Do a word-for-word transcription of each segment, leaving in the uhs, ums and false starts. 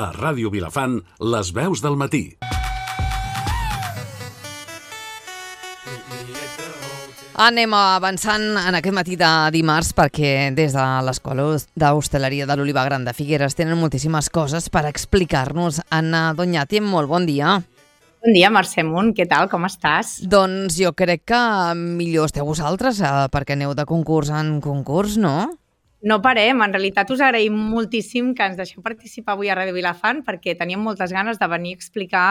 A Ràdio Vilafant, les veus del matí. Anem avançant en aquest matí de dimarts perquè des de l'Escola d'Hostaleria de l'Oliva Gran de Figueres tenen moltíssimes coses per explicar-nos. Anna Doñati, molt bon dia. Bon dia, Mercè Munt, què tal, com estàs? Doncs jo crec que millor esteu vosaltres perquè aneu de concurs en concurs, no? No parem, en realitat us agraïm moltíssim que ens deixeu participar avui a Ràdio Vilafant perquè teníem moltes ganes de venir a explicar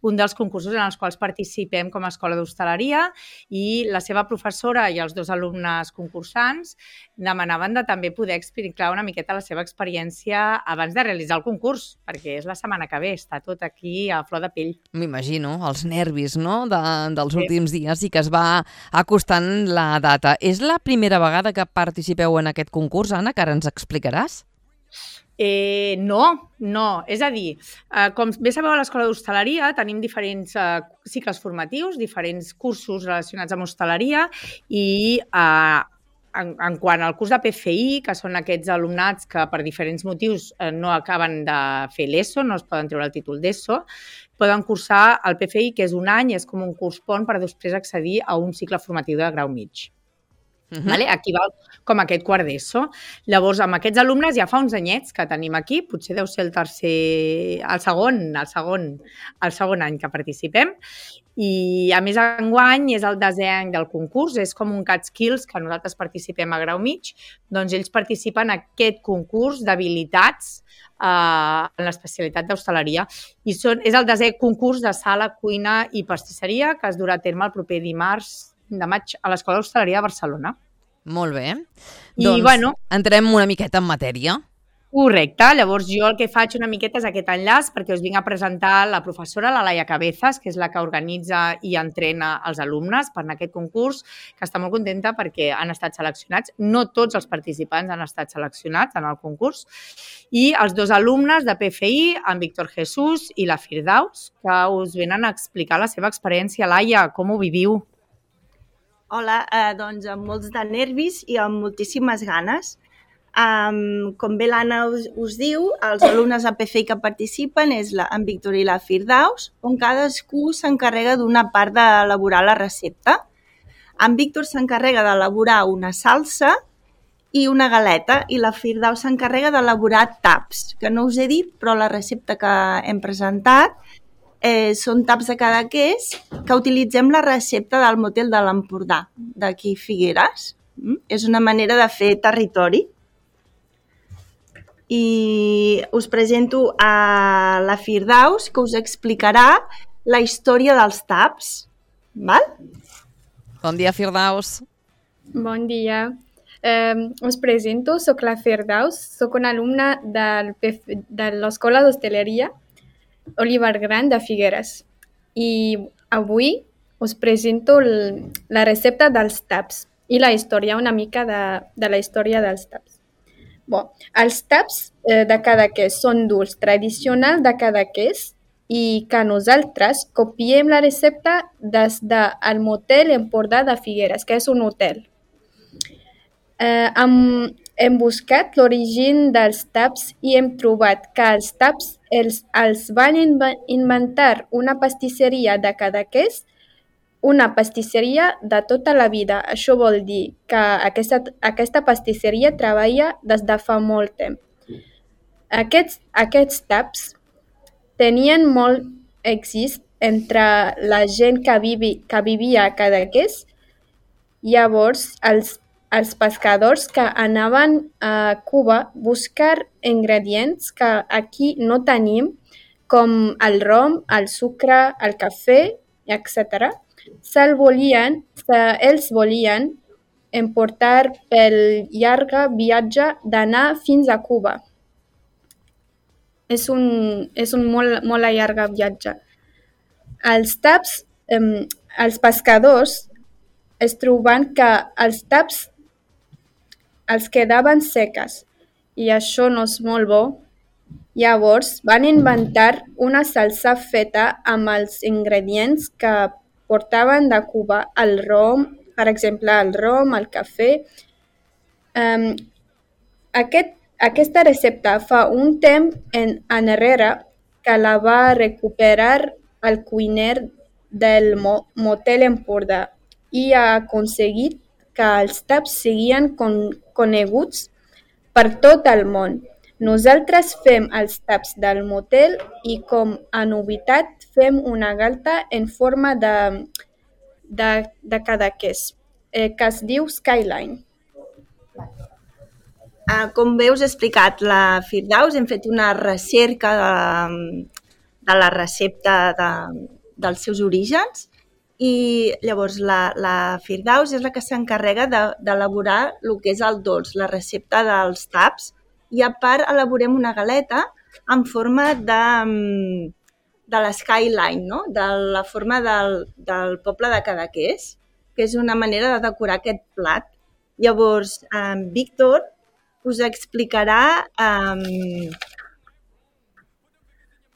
un dels concursos en els quals participem com a Escola d'Hostaleria i la seva professora i els dos alumnes concursants demanaven de també poder explicar una miqueta la seva experiència abans de realitzar el concurs, perquè és la setmana que ve, està tot aquí a flor de pell. M'imagino, els nervis, no?, de, dels sí. últims dies i que es va acostant la data. És la primera vegada que participeu en aquest concurs, Anna, que ara ens explicaràs? Eh, no, no. És a dir, eh, com bé sabeu, a l'Escola d'Hostaleria tenim diferents eh, cicles formatius, diferents cursos relacionats amb hostaleria i eh, en, en quant al curs de P F I, que són aquests alumnats que per diferents motius eh, no acaben de fer l'ESO, no es poden treure el títol d'ESO, poden cursar el P F I, que és un any, és com un curs pont per després accedir a un cicle formatiu de grau mig. Uh-huh. Vale? Aquí va com aquest quart d'ESO. Llavors, amb aquests alumnes ja fa uns anyets que tenim aquí, potser deu ser el tercer, el segon, el segon, el segon any que participem. I, a més, enguany és el desè any del concurs, és com un Catskills que nosaltres participem a grau mig, doncs ells participen en aquest concurs d'habilitats eh, en l'especialitat d'hostaleria. I són, és el desè concurs de sala, cuina i pastisseria que es durà a terme el proper dimarts de maig a l'Escola d'Hostaleria de Barcelona. Molt bé. I, doncs bueno, entrem una miqueta en matèria. Correcte. Llavors jo el que faig una miqueta és aquest enllaç perquè us vinc a presentar la professora, la Laia Cabezas, que és la que organitza i entrena els alumnes per en aquest concurs, que està molt contenta perquè han estat seleccionats. No tots els participants han estat seleccionats en el concurs. I els dos alumnes de P F I, en Víctor Jesús i la Firdaus, que us venen a explicar la seva experiència. Laia, com ho viviu? Hola, eh, doncs amb molts de nervis i amb moltíssimes ganes. Um, com bé l'Anna us, us diu, els alumnes de P F I que participen és la, en Víctor i la Firdaus, on cadascú s'encarrega d'una part d'elaborar la recepta. En Víctor s'encarrega d'elaborar una salsa i una galeta i la Firdaus s'encarrega d'elaborar taps, que no us he dit, però la recepta que hem presentat Eh, són taps de Cadaqués que utilitzem la recepta del motel de l'Empordà, d'aquí Figueres. Mm? És una manera de fer territori. I us presento a la Firdaus, que us explicarà la història dels taps. Val? Bon dia, Firdaus. Bon dia. Eh, us presento, soc la Firdaus, soc una alumna del P F, de l'Escola d'Hostaleria Oliva Gran de Figueres i avui us presento el, la recepta dels taps i la història, una mica de, de la història dels taps. Bon, els taps eh, de Cadaqués són dulç tradicional de Cadaqués i que nosaltres copiem la recepta des del motel Empordà de Figueres, que és un hotel. Eh, amb, hem buscat l'origen dels taps i hem trobat que els taps els, els van inventar una pastisseria de Cadaqués, una pastisseria de tota la vida. Això vol dir que aquesta, aquesta pastisseria treballa des de fa molt temps. Aquests, aquests taps tenien molt èxit entre la gent que, vivi, que vivia a Cadaqués. Llavors, els els pescadors que anaven a Cuba a buscar ingredients que aquí no tenim, com el rom, el sucre, el cafè, etcètera. Se'l volien, se, ells volien emportar pel llarg viatge d'anar fins a Cuba. És un, és un molt, molt llarg viatge. Els taps, eh, els pescadors es troben que els taps els quedaven seques i això no és molt bo. Llavors van inventar una salsa feta amb els ingredients que portaven de Cuba, el rom, per exemple, el rom, el cafè. Um, aquest, aquesta recepta fa un temps en, enrere que la va recuperar el cuiner del mo, motel Empordà i ha aconseguit que els taps siguin con, coneguts per tot el món. Nosaltres fem els taps del motel i com a novetat fem una galta en forma de, de, de cadaqués, eh, que es diu Skyline. Uh, com bé us he explicat, la Firdaus hem fet una recerca de, de la recepta de, dels seus orígens i llavors la, la Firdaus és la que s'encarrega d'elaborar de, el que és el dolç, la recepta dels taps, i a part elaborem una galeta en forma de, de la Skyline, no? De la forma del, del poble de Cadaqués, que és una manera de decorar aquest plat. Llavors, eh, Víctor us explicarà um,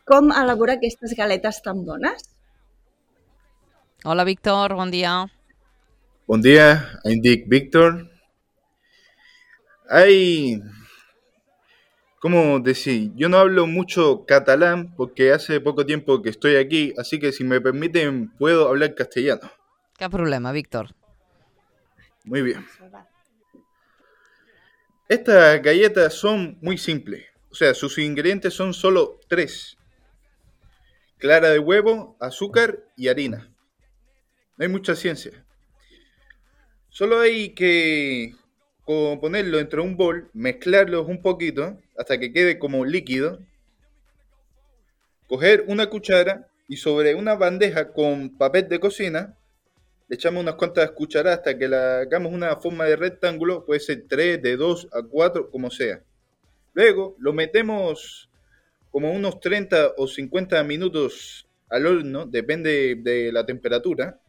com elaborar aquestes galetes tan bones. Hola, Víctor, bon dia. Bon dia, em dic Víctor. Hay, ¿cómo decir? Yo no hablo mucho catalán porque hace poco tiempo que estoy aquí, así que si me permiten puedo hablar castellano. Cap problema, Víctor. Muy bien. Estas galletas son muy simples, o sea, sus ingredientes son solo tres. Clara de huevo, azúcar y harina. No hay mucha ciencia. Solo hay que ponerlo dentro de un bol, mezclarlos un poquito hasta que quede como líquido. Coger una cuchara y sobre una bandeja con papel de cocina le echamos unas cuantas cucharadas hasta que la hagamos una forma de rectángulo, puede ser tres, de dos a cuatro, como sea. Luego lo metemos como unos treinta o cincuenta minutos al horno, depende de la temperatura.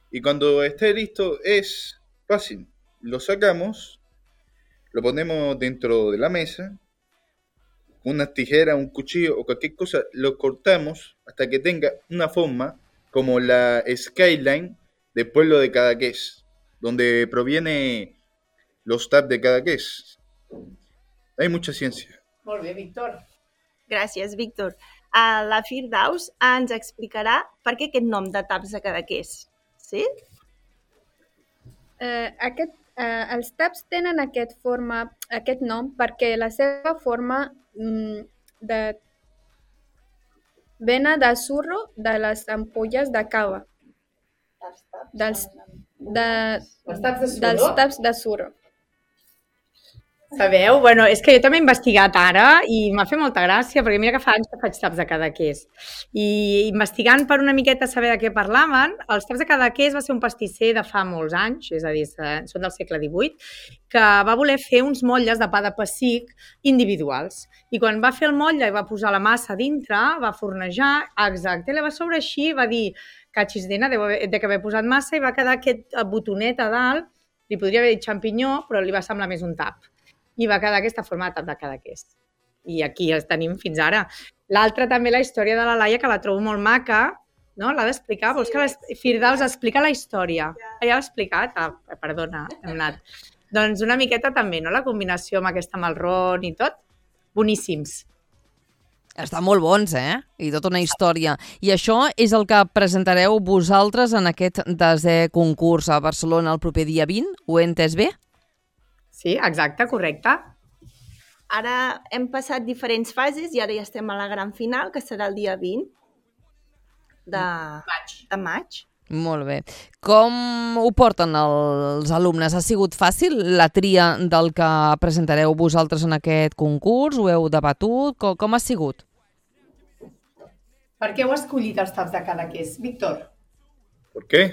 Y cuando esté listo es fácil. Lo sacamos, lo ponemos dentro de la mesa, con unas tijeras, un cuchillo o cualquier cosa, lo cortamos hasta que tenga una forma como la Skyline del pueblo de Cadaqués, donde proviene los taps de Cadaqués. Hay mucha ciencia. Molt bé, Víctor. Gràcies, Víctor. Uh, la Firdaus ens explicarà per què aquest nom de taps de Cadaqués. Sí? Eh, aquest, eh, els taps tenen aquest, forma, aquest nom perquè la seva forma mm, de vena de surro de les ampolles de cava. Dels, de, Els taps de surro? dels taps de surro. Sabeu? Bueno, és que jo també he investigat ara i m'ha fet molta gràcia, perquè mira que fa anys que faig taps de Cadaqués. I investigant per una miqueta saber de què parlaven, els taps de Cadaqués va ser un pastisser de fa molts anys, és a dir, són del segle divuit, que va voler fer uns motlles de pa de pessic individuals. I quan va fer el motlle i va posar la massa dintre, va fornejar, exacte, li va sobre així, va dir, catxisdena, deu haver posat massa, i va quedar aquest botonet a dalt, li podria haver dit xampinyó, però li va semblar més un tap. I va quedar aquesta forma de tap de Cadaqués. I aquí els tenim fins ara. L'altra també, la història de la Laia, que la trobo molt maca, no? L'ha d'explicar? Vols que la Firdaus explica la història? Ja l'ha explicat? Ah, perdona, hem anat. Doncs una miqueta també, no? La combinació amb aquesta marrón i tot. Boníssims. Estan molt bons, eh? I tota una història. I això és el que presentareu vosaltres en aquest desè concurs a Barcelona el proper dia vint? Ho he entès bé? Sí, exacte, correcte. Ara hem passat diferents fases i ara ja estem a la gran final, que serà el dia vint de maig. De maig. Molt bé. Com ho porten els alumnes? Ha sigut fàcil la tria del que presentareu vosaltres en aquest concurs? Ho heu debatut? Com, com ha sigut? Per què heu escollit els taps de Cadaqués, Víctor? ¿Por qué?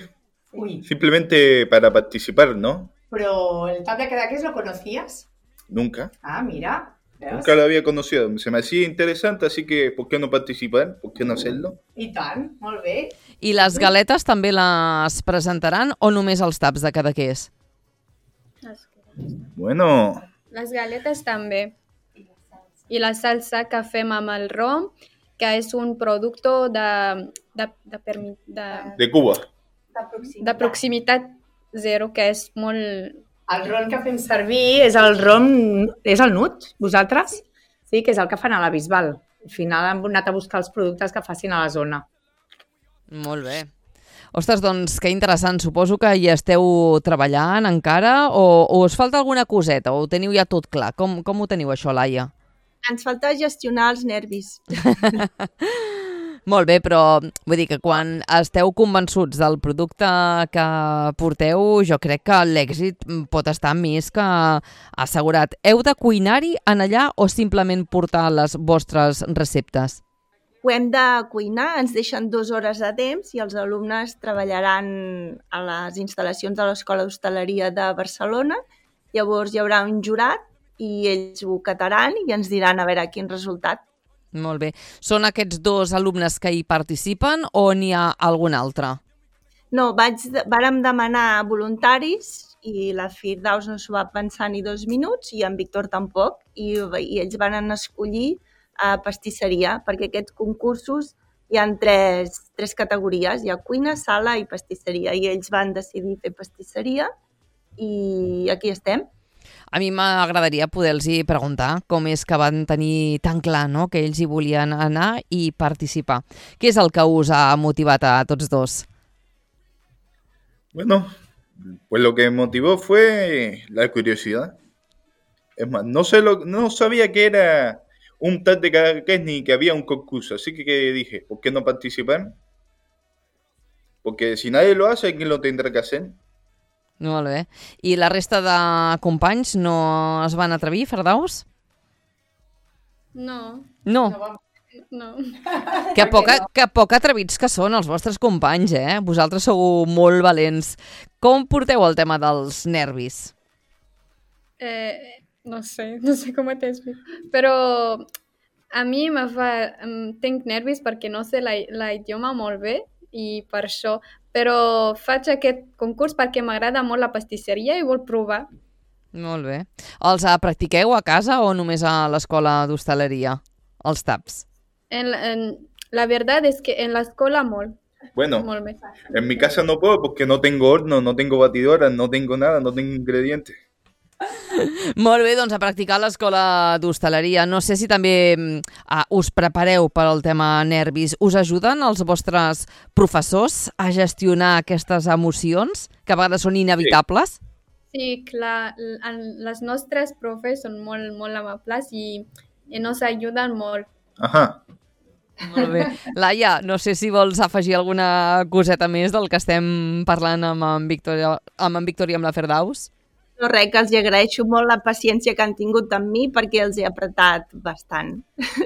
Uy. Simplemente para participar, ¿no? Pero el tap de Cadaqués lo conocías? Nunca. Ah, mira. ¿Veus? Nunca lo había conocido. Se me hacía interesante, así que ¿por qué no participar? ¿Por qué no hacerlo? I tant, molt bé. I les galetes també les presentaran o només els taps de Cadaqués? Bueno, Les galetes també. I la salsa que fem amb el rom, que és un producte de, de, de, permi- de, de Cuba. de proximitat zero, que és molt, El ron que fem servir és el ron, és el nut, vosaltres? Sí, que és el que fan a la Bisbal. Al final hem anat a buscar els productes que facin a la zona. Molt bé. Ostres, doncs, que interessant. Suposo que hi esteu treballant encara o, o us falta alguna coseta o ho teniu ja tot clar? Com, com ho teniu això, Laia? Ens falta gestionar els nervis. Molt bé, però vull dir que quan esteu convençuts del producte que porteu, jo crec que l'èxit pot estar més que assegurat. Heu de cuinar-hi en allà o simplement portar les vostres receptes? Ho hem de cuinar, ens deixen dues hores de temps i els alumnes treballaran a les instal·lacions de l'Escola d'Hostaleria de Barcelona. Llavors hi haurà un jurat i ells ho cataran i ens diran a veure quin resultat. Molt bé. Són aquests dos alumnes que hi participen o n'hi ha algun altre? No, vaig, vàrem demanar voluntaris i la Firdaus no s'ho va pensar ni dos minuts i en Víctor tampoc i, i ells van escollir a pastisseria, perquè aquests concursos hi ha tres, tres categories, hi ha cuina, sala i pastisseria, i ells van decidir fer pastisseria i aquí estem. A mi m'agradaria poder-los preguntar com és que van tenir tan clar, no?, que ells hi volien anar i participar. Què és el que us ha motivat a tots dos? Bueno, pues lo que me motivó fue la curiosidad. Es más, no, sé lo, no sabía que era un tal de Cadaqués ni que había un concurso, así que dije, ¿por qué no participar? Porque si nadie lo hace, ¿quién lo tendrá que hacer? Molt bé. I la resta de companys no es van atrevir, Firdaus? No. No? No. Que poc, que poc atrevits que són els vostres companys, eh? Vosaltres sou molt valents. Com porteu el tema dels nervis? Eh... No sé, no sé com t'explico. Però a mi me fa... Tinc nervis perquè no sé la, la idioma molt bé i per això. Però faig aquest concurs perquè m'agrada molt la pastisseria i vol provar. Molt bé. Els practiqueu a casa o només a l'escola d'hostaleria? Els taps? En, en, la verdad es que en la escuela molt. Bueno, molt bé. En mi casa no puedo porque no tengo horno, no tengo batidora, no tengo nada, no tengo ingredientes. Molt bé, doncs a practicar a l'escola d'hostaleria. No sé si també uh, us prepareu per al tema nervis. Us ajuden els vostres professors a gestionar aquestes emocions que a vegades són inevitables? Sí, sí, clar. Les nostres profes són molt, molt amables i, i ens ajuden molt. Ahà. Molt bé. Laia, no sé si vols afegir alguna coseta més del que estem parlant amb en Víctor, amb en Víctor i amb la Firdaus? No res, que els agraeixo molt la paciència que han tingut amb mi perquè els he apretat bastant.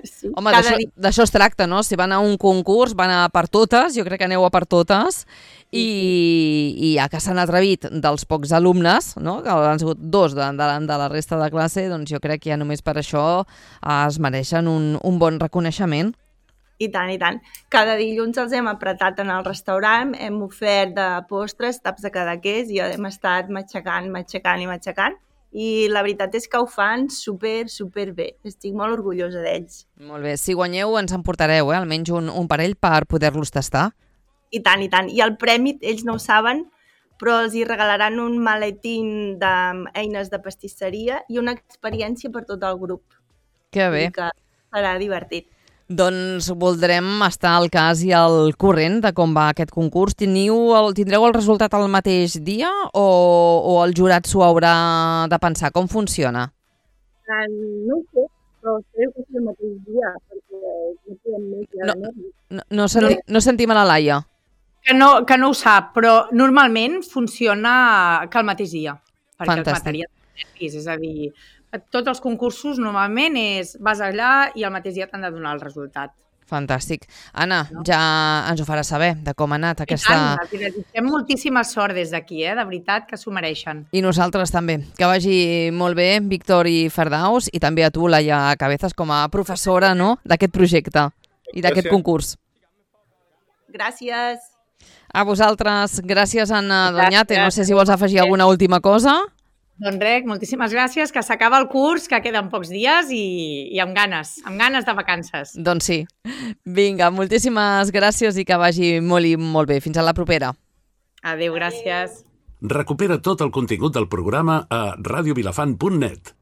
Sí, home, d'això, dia... d'això es tracta, no? Si van a un concurs, van a per totes, jo crec que aneu a per totes, i, i ja que s'han atrevit dels pocs alumnes, no?, que han sigut dos de, de, de la resta de classe, doncs jo crec que ja només per això es mereixen un, un bon reconeixement. I tant, i tant. Cada dilluns els hem apretat en el restaurant, hem ofert de postres, taps de cadaqués i hem estat matxacant, matxacant i matxacant. I la veritat és que ho fan super, super bé. Estic molt orgullosa d'ells. Molt bé. Si guanyeu ens en portareu, eh? Almenys un, un parell per poder-los tastar. I tant, i tant. I el premi, ells no ho saben, però els hi regalaran un maletín d'eines de pastisseria i una experiència per tot el grup. Que bé. Que serà divertit. Doncs voldrem estar al cas i al corrent de com va aquest concurs. Teniu el, tindreu el resultat el mateix dia o, o el jurat s'ho haurà de pensar? Com funciona? Uh, no ho sé, però crec que és el mateix dia, perquè no podem més ja no, no, no, senti, no sentim a la Laia. Que no, que no ho sap, però normalment funciona que el mateix dia. Perquè Fantàstic. Els materials nervis, és a dir... Tots els concursos normalment és vas allà i al mateix dia t'han de donar el resultat. Fantàstic. Anna, no? Ja ens ho faràs saber de com ha anat aquesta... I tant, els desitgem moltíssima sort des d'aquí, eh? De veritat que s'ho mereixen. I nosaltres també. Que vagi molt bé, Víctor i Firdaus, i també a tu, Laia Cabezas, com a professora, no?, d'aquest projecte i d'aquest concurs. Gràcies. A vosaltres. Gràcies, Anna Doñate. No sé si vols afegir alguna última cosa. Doncs res, moltíssimes gràcies, que s'acaba el curs, que queden pocs dies i, i amb ganes, amb ganes de vacances. Doncs sí. Vinga, moltíssimes gràcies i que vagi molt i molt bé. Fins a la propera. Adéu, gràcies. Recupera tot el contingut del programa a radiovilafant punt net.